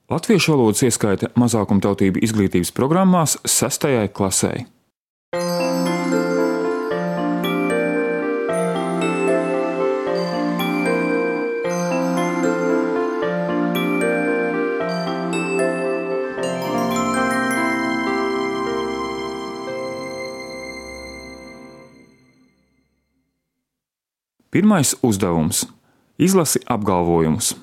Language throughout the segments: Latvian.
Latviešu valodas ieskaita mazākumtautību izglītības programmās 6. klasei. Pirmais uzdevums – izlasi apgalvojumus.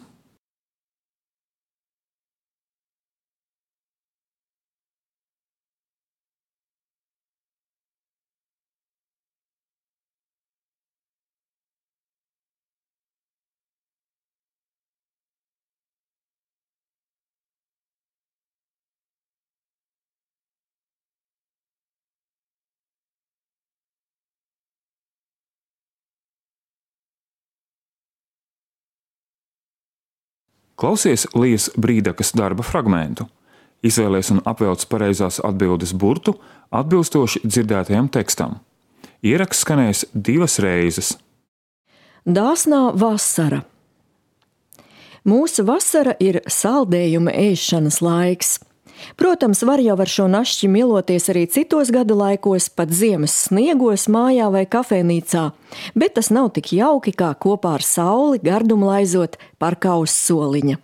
Klausies Lijas Brīdakas darba fragmentu. Izvēlies un apvelc pareizās atbildes burtu atbilstoši dzirdētajam tekstam. Ieraksts skanēs 2 reizes. Dāsnā vasara. Mūsu vasara ir saldējuma ēšanas laiks. Protams, var jau ar šo našķi mieloties arī citos gada laikos, pat ziemas sniegos, mājā vai kafejnīcā, bet tas nav tik jauki kā kopā ar sauli gardumu laizot parkā uz soliņa.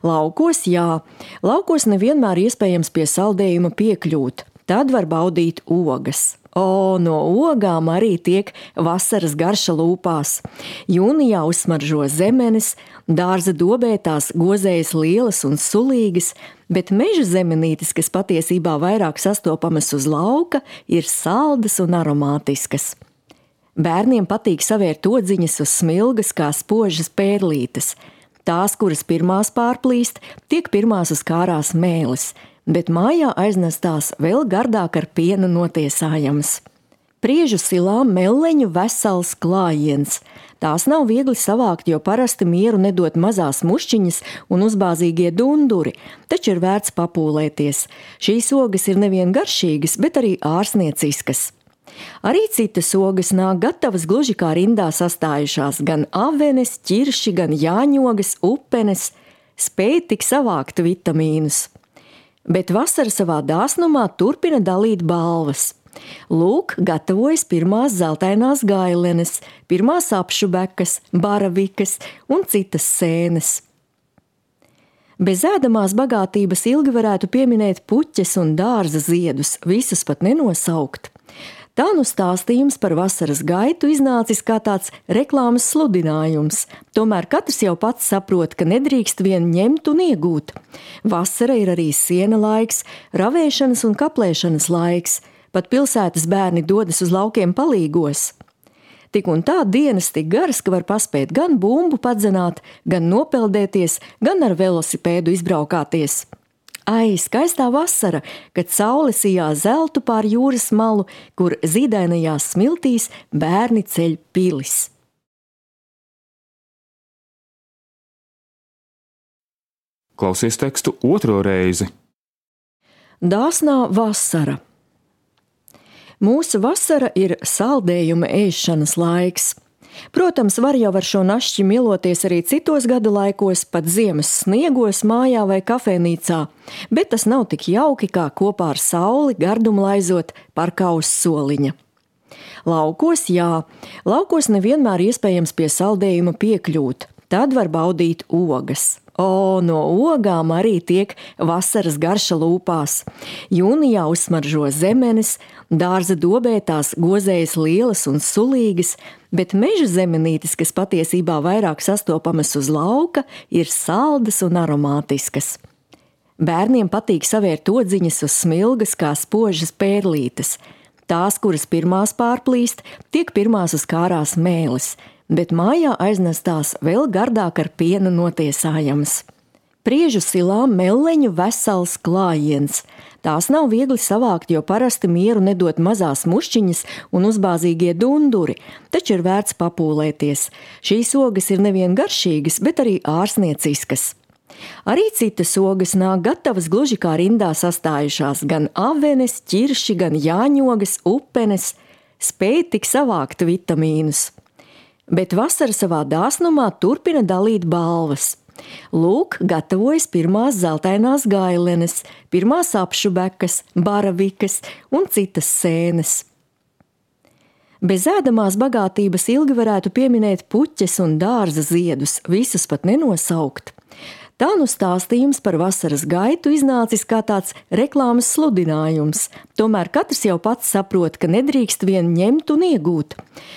Laukos, jā, laukos nevienmēr iespējams pie saldējuma piekļūt, tad var baudīt ogas. No ogām arī tiek vasaras garša lūpās. Jūnijā uzsmaržo zemenes, dārza dobē tās gozējas lielas un sulīgas, bet meža zemenītes, kas patiesībā vairāk sastopamas uz lauka, ir saldas un aromātiskas. Bērniem patīk savērt odziņas uz smilgas kā spožas pērlītes. Tās, kuras pirmās pārplīst, tiek pirmās uz kārās mēlis, bet mājā aiznestās vēl gardāk ar pienu notiesājams. Priežu silām melleņu vesels klājiens. Tās nav viegli savākt, jo parasti mieru nedod mazās mušķiņas un uzbāzīgie dunduri, taču ir vērts papūlēties. Šīs ogas ir nevien garšīgas, bet arī ārsnieciskas. Arī citas ogas nāk gatavas gluži kā rindā sastājušās, gan avenes, ķirši, gan jāņogas, upenes, spēj tik savākt vitamīnus. Bet vasara savā dāsnumā turpina dalīt balvas. Lūk, gatavojas pirmās zeltainās gailenes, pirmās apšubekas, baravikas un citas sēnes. Bez ēdamās bagātības ilgi varētu pieminēt puķes un dārza ziedus, visus pat nenosaukt. Tā nu stāstījums par vasaras gaitu iznācis kā tāds reklāmas sludinājums. Tomēr katrs jau pats saprot, ka nedrīkst vien ņemt un iegūt. Vasara ir arī siena laiks, ravēšanas un kaplēšanas laiks. Pat pilsētas bērni dodas uz laukiem palīgos. Tik un tā dienas tik garas, ka var paspēt gan bumbu padzenāt, gan nopeldēties, gan ar velosipēdu izbraukāties. Ai, skaistā vasara, kad saule sijā zeltu pār jūras malu, kur zīdainajās smiltīs bērni ceļ pilis. Klausies tekstu 2. reizi. Dāsnā vasara. Mūsu vasara ir saldējuma ēšanas laiks. Protams, var jau ar šo našķi mieloties arī citos gada laikos, pat ziemas sniegos, mājā vai kafejnīcā, bet tas nav tik jauki kā kopā ar sauli gardumu laizot parkā uz soliņa. Laukos, jā, laukos nevienmēr iespējams pie saldējuma piekļūt, tad var baudīt ogas. No ogām arī tiek vasaras garša lūpās. Jūnijā uzsmaržo zemenes, dārza dobē tās gozējas lielas un sulīgas, bet meža zemenītes, kas patiesībā vairāk sastopamas uz lauka, ir saldas un aromātiskas. Bērniem patīk savērt odziņas uz smilgas kā spožas pērlītes. Tās, kuras pirmās pārplīst, tiek pirmās uz kārās mēlis, bet mājā aiznestās vēl gardāk ar pienu notiesājams. Priežu silām melleņu vesels klājiens. Tās nav viegli savākt, jo parasti mieru nedod mazās mušķiņas un uzbāzīgie dunduri, taču ir vērts papūlēties. Šīs ogas ir nevien garšīgas, bet arī ārsnieciskas. Arī citas ogas nāk gatavas gluži kā rindā sastājušās, gan avenes, ķirši, gan jāņogas, upenes, spēj tik savākt vitamīnus. Bet vasara savā dāsnumā turpina dalīt balvas. Lūk, gatavojas pirmās zeltainās gailenes, pirmās apšubekas, baravikas un citas sēnes. Bez ēdamās bagātības ilgi varētu pieminēt puķes un dārza ziedus, visus pat nenosaukt. Tā nu stāstījums par vasaras gaitu iznācis kā tāds reklāmas sludinājums. Tomēr katrs jau pats saprot, ka nedrīkst vien ņemt un iegūt.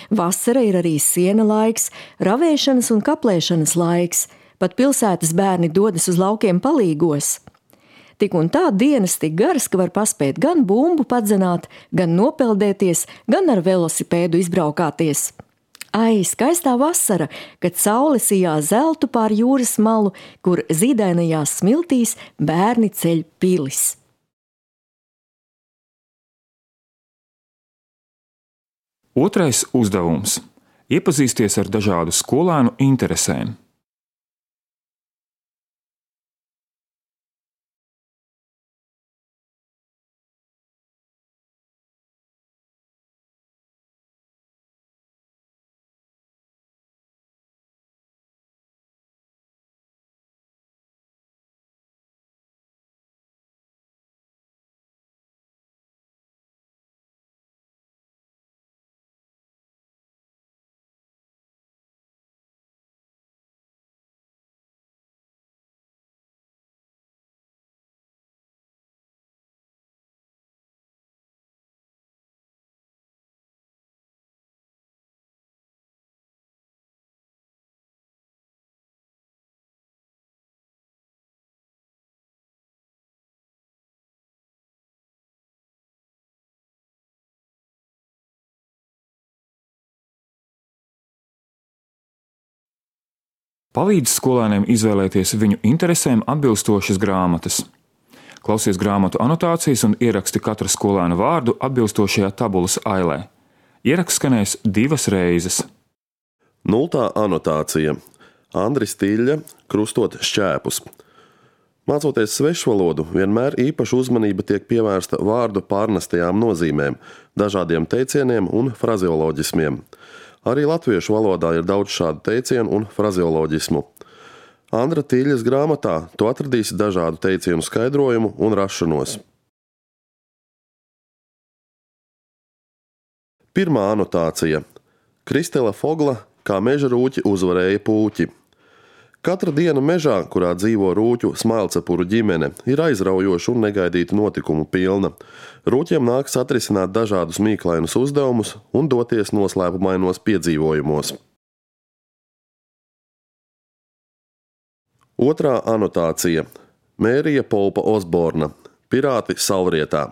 Vasara ir arī siena laiks, ravēšanas un kaplēšanas laiks. Pat pilsētas bērni dodas uz laukiem palīgos. Tik un tā dienas tik garas, ka var paspēt gan bumbu padzenāt, gan nopeldēties, gan ar velosipēdu izbraukāties. Ai, skaistā vasara, kad saule sijā zeltu pār jūras malu, kur zīdainajās smiltīs bērni ceļ pilis. Otrais uzdevums – iepazīsties ar dažādu skolēnu interesēm. Palīdz skolēniem izvēlēties viņu interesēm atbilstošas grāmatas. Klausies grāmatu anotācijas un ieraksti katra skolēna vārdu atbilstošajā tabulas ailē. Ieraksts skanēs 2 reizes. 0. anotācija. Andris Tiļļa, krustot šķēpus. Mācoties svešvalodu, vienmēr īpaša uzmanība tiek pievērsta vārdu pārnestajām nozīmēm, dažādiem teicieniem un frazeoloģismiem. Arī latviešu valodā ir daudz šādu teicienu un frazeoloģismu. Andra Tiļļas grāmatā tu atradīsi dažādu teicienu skaidrojumu un rašanos. 1. anotācija. Kristela Fogla, kā meža rūķi uzvarēja pūķi. Katra diena mežā, kurā dzīvo rūķu smailcepuru ģimene, ir aizraujoša un negaidīta notikumu pilna. Rūķiem nāks atrisināt dažādus mīklainus uzdevumus un doties noslēpumainos piedzīvojumos. 2. anotācija. Mērija Polpa Osborna, Pirāti Salvrietā.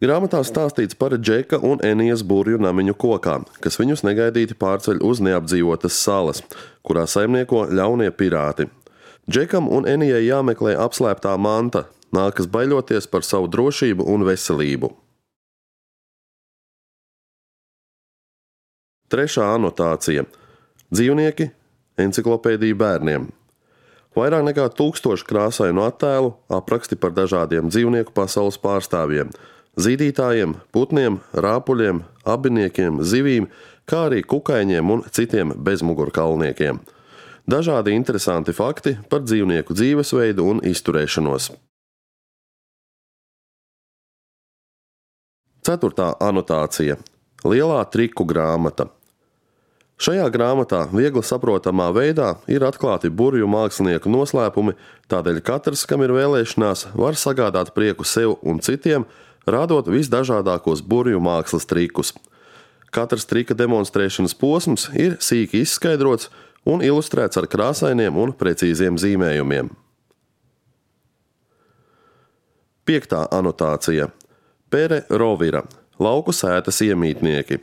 Grāmatā stāstīts par Džeka un Enijas burvju namiņu kokā, kas viņus negaidīti pārceļ uz neapdzīvotas salas, kurā saimnieko ļaunie pirāti. Džekam un Enijai jāmeklē apslēptā manta, nākas baiļoties par savu drošību un veselību. 3. anotācija. Dzīvnieki, enciklopēdija bērniem. Vairāk nekā 1000 krāsainu attēlu, apraksti par dažādiem dzīvnieku pasaules pārstāvjiem, zīdītājiem, putniem, rāpuļiem, abiniekiem, zivīm, kā arī kukaiņiem un citiem bezmugurkalniekiem. Dažādi interesanti fakti par dzīvnieku dzīvesveidu un izturēšanos. 4. anotācija. Lielā triku grāmata. Šajā grāmatā viegli saprotamā veidā ir atklāti burvju mākslinieku noslēpumi, tādēļ katrs, kam ir vēlēšanās, var sagādāt prieku sev un citiem, rādot visdažādākos burvju mākslas trikus. Katrs trika demonstrēšanas posms ir sīki izskaidrots un ilustrēts ar krāsainiem un precīziem zīmējumiem. 5. anotācija. Pere Rovira, lauku sētas iemītnieki.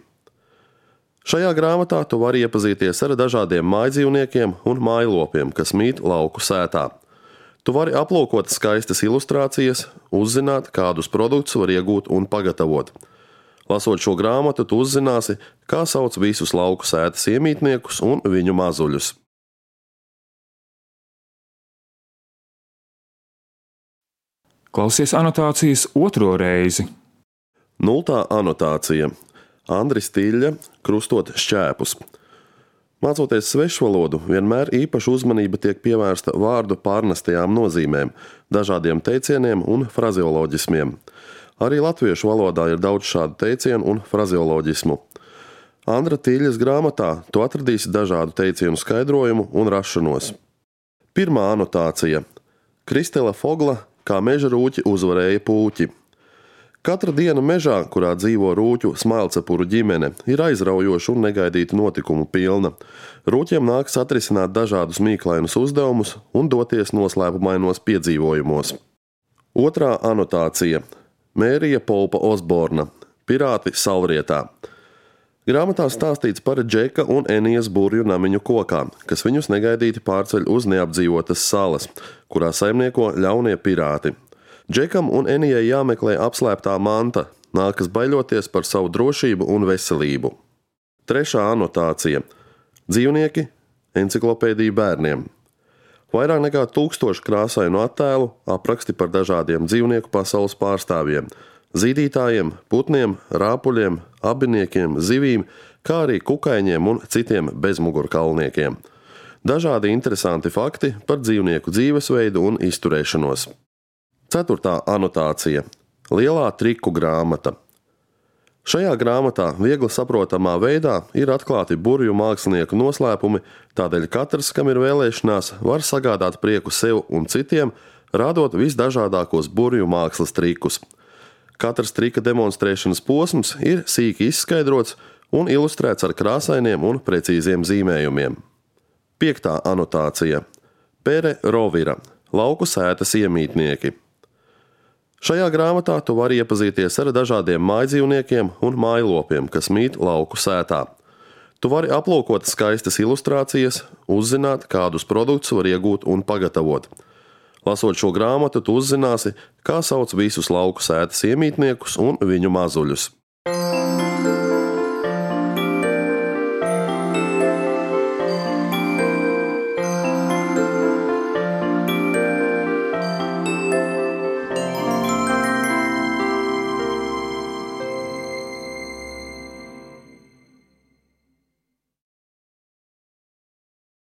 Šajā grāmatā tu vari iepazīties ar dažādiem mājdzīvniekiem un mājlopiem, kas mīt lauku sētā. Tu vari aplūkot skaistas ilustrācijas, uzzināt, kādus produktus var iegūt un pagatavot. Lasot šo grāmatu, tu uzzināsi, kā sauc visus lauku sētas iemītniekus un viņu mazuļus. Klausies anotācijas 2. reizi. 0. anotācija. Andris Tiļļa, krustot šķēpus. Mācoties svešvalodu, vienmēr īpaša uzmanība tiek pievērsta vārdu pārnestajām nozīmēm, dažādiem teicieniem un frazeoloģismiem. Arī latviešu valodā ir daudz šādu teicienu un frazeoloģismu. Andra Tīļas grāmatā tu atradīsi dažādu teicienu skaidrojumu un rašanos. Pirmā anotācija – Kristela Fogla, kā meža rūķi uzvarēja pūķi. Katra diena mežā, kurā dzīvo rūķu smailcepuru ģimene, ir aizraujoša un negaidīta notikumu pilna. Rūķiem nākas atrisināt dažādus mīklainus uzdevumus un doties noslēpumainos piedzīvojumos. Otrā anotācija – Mērija Polpa Osborna, Pirāti Salrietā. Grāmatā stāstīts par Džeka un Enijas burvju namiņu kokā, kas viņus negaidīti pārceļ uz neapdzīvotas salas, kurā saimnieko ļaunie pirāti. Džekam un Enijai jāmeklē apslēptā manta, nākas baiļoties par savu drošību un veselību. Trešā anotācija – Dzīvnieki, enciklopēdija bērniem. Vairāk nekā 1000 krāsainu attēlu, apraksti par dažādiem dzīvnieku pasaules pārstāvjiem – zīdītājiem, putniem, rāpuļiem, abiniekiem, zivīm, kā arī kukaiņiem un citiem bezmugurkalniekiem. Dažādi interesanti fakti par dzīvnieku dzīvesveidu un izturēšanos. Ceturtā anotācija – Lielā triku grāmata. Šajā grāmatā viegli saprotamā veidā ir atklāti burvju mākslinieku noslēpumi, tādēļ katrs, kam ir vēlēšanās, var sagādāt prieku sev un citiem, rādot visdažādākos burvju mākslas trikus. Katrs trika demonstrēšanas posms ir sīki izskaidrots un ilustrēts ar krāsainiem un precīziem zīmējumiem. 5. anotācija – Pere Rovira, lauku sētas iemītnieki. Šajā grāmatā tu vari iepazīties ar dažādiem mājdzīvniekiem un mājlopiem, kas mīt lauku sētā. Tu vari aplūkot skaistas ilustrācijas, uzzināt, kādus produktus var iegūt un pagatavot. Lasot šo grāmatu, tu uzzināsi, kā sauc visus lauku sētas iemītniekus un viņu mazuļus.